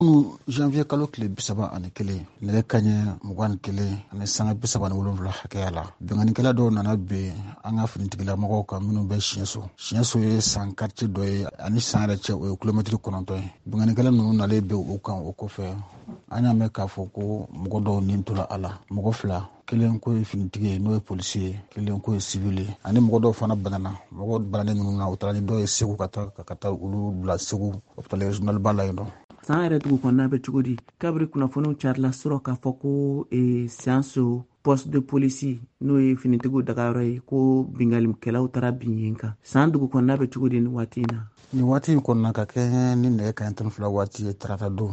Kunu janvier kalo tile 31, nɛgɛ kaɲɛ 21 ani sanga 37 hakɛya la, binkannikɛla dɔw nana bin an ka finitigilamɔgɔw kan minnu bɛ Siɲɛso. Siɲɛso ye San quartier dɔ ye, ani San yɛrɛ cɛ, o ye kilomɛtiri 9 ye. Binkannikɛla ninnu nalen bin u kan, o kɔfɛ an y'a mɛn k'a fɔ ko mɔgɔ dɔw nin tora a la, mɔgɔ fila, kelen ko ye finitigi ye, n'o ye polisi ye, kelen ko ye sivili ye, ani mɔgɔ dɔw fana banana. Mɔgɔ bananen ninnu na, u taara ni dɔw ye Segu ka taa olu bila Segu hôpital régional ba la yen nɔ. San yɛrɛ dugu kɔnɔna bɛ cogo di kabiri kunnafoniw carila sɔrɔ k'a fɔ ko Sianso poste de police, n'o ye finitigiw dagayɔrɔ ye, ko bingalikɛlaw taara bin yen kan? San dugu kɔnɔna bɛ cogo di nin waati in na? Nin waati in kɔnɔna, ka kɛ ni nɛgɛ kaɲɛ 12 waati ye, tarata don,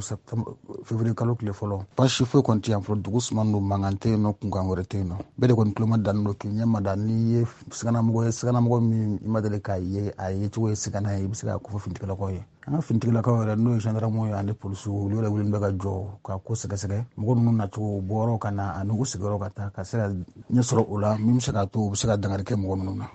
février kalo tile fɔlɔ, baasi foyi kɔni tɛ yan fɔlɔ. Dugu suman don, mankan tɛ yen nɔ, kunkan wɛrɛ tɛ yen nɔ. Bɛɛ de kɔni tuloma dannen don k'i ɲɛ mada. N'i ye siganamɔgɔ ye, siganamɔgɔ min i ma deli k'a ye, a ye cogo ye sigana ye, i bɛ se k'a kofɔ finitigilakaw ye. An ka finitigilakaw yɛrɛ, n'o ye gendarmew ye ani polisiw, olu yɛrɛ wulilen bɛ ka jɔ ka ko sɛgɛsɛgɛ, mɔgɔ ninnu nacogo, u bɔyɔrɔ ka na ani u sigiyɔrɔ ka taa, ka se ka ɲɛ sɔrɔ o la min bɛ se k'a to u bɛ se ka dankari kɛ mɔgɔ ninnu na.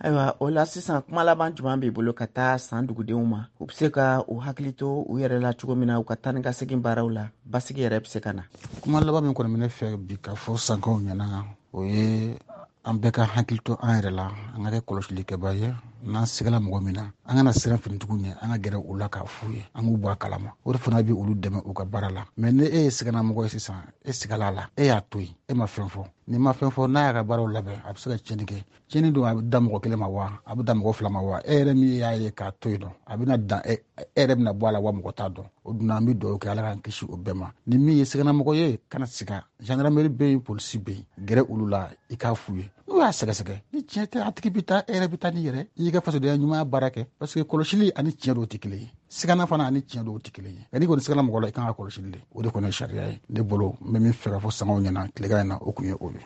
Ayiwa, o la sisan, kuma laban jumɛn b'i bolo ka taa San dugudenw ma, u bɛ se ka u hakili to u yɛrɛ la cogo min na, u ka taa ni ka segin baaraw la, basigi yɛrɛ bɛ se ka na? Kuma laban min kɔni bɛ ne fɛ bi ka fɔ Sankaw ɲɛna, o ye an bɛɛ ka hakili to an yɛrɛ la, an ka kɛ kɔlɔsilikɛba ye. N'an sigala mɔgɔ min na, an kana siran finitigiw ɲɛ, an ka gɛrɛ u la k'a f'u ye, an k'u bɔ a kalama. O de fana bɛ olu dɛmɛ u ka baara la. Mɛ ni e ye siganamɔgɔ ye sisan, e sigala la, e y'a to yen, e ma fɛn fɔ, n'i ma fɛn fɔ, n'a y'a ka baaraw labɛn, a bɛ se ka tiɲɛni kɛ. Tiɲɛni don, a bɛ da mɔgɔ kelen ma wa, a bɛ da mɔgɔ fila ma wa, e yɛrɛ min y'a ye k'a to yen nɔ, a bɛna dan e yɛrɛ bɛna bɔ a la wa, mɔgɔ t'a dɔn. O dun, an bɛ dugawu kɛ, Ala k'an kisi o bɛɛ ma. Ni min ye siganamɔgɔ ye, kana siga, gendarmerie bɛ yen, polisi bɛ yen, gɛrɛ olu la, i k'a f'u ye. N'u y'a sɛgɛsɛgɛ, ni tiɲɛ tɛ, a tigi bɛ taa, e yɛrɛ bɛ taa n'i yɛrɛ i y'i ka fasodenya ɲumanya baara kɛ, parce que kɔlɔsili ani tiɲɛ dɔw tɛ kelen ye, sigana fana ani tiɲɛ dɔw tɛ kelen ye. Nka n'i kɔni sigana mɔgɔ la, i kan ka kɔlɔsili de, o de kɔni ye sariya ye. Ne bolo, n bɛ min fɛ ka fɔ Sankaw ɲɛna tilegan in na, o kun ye o ye.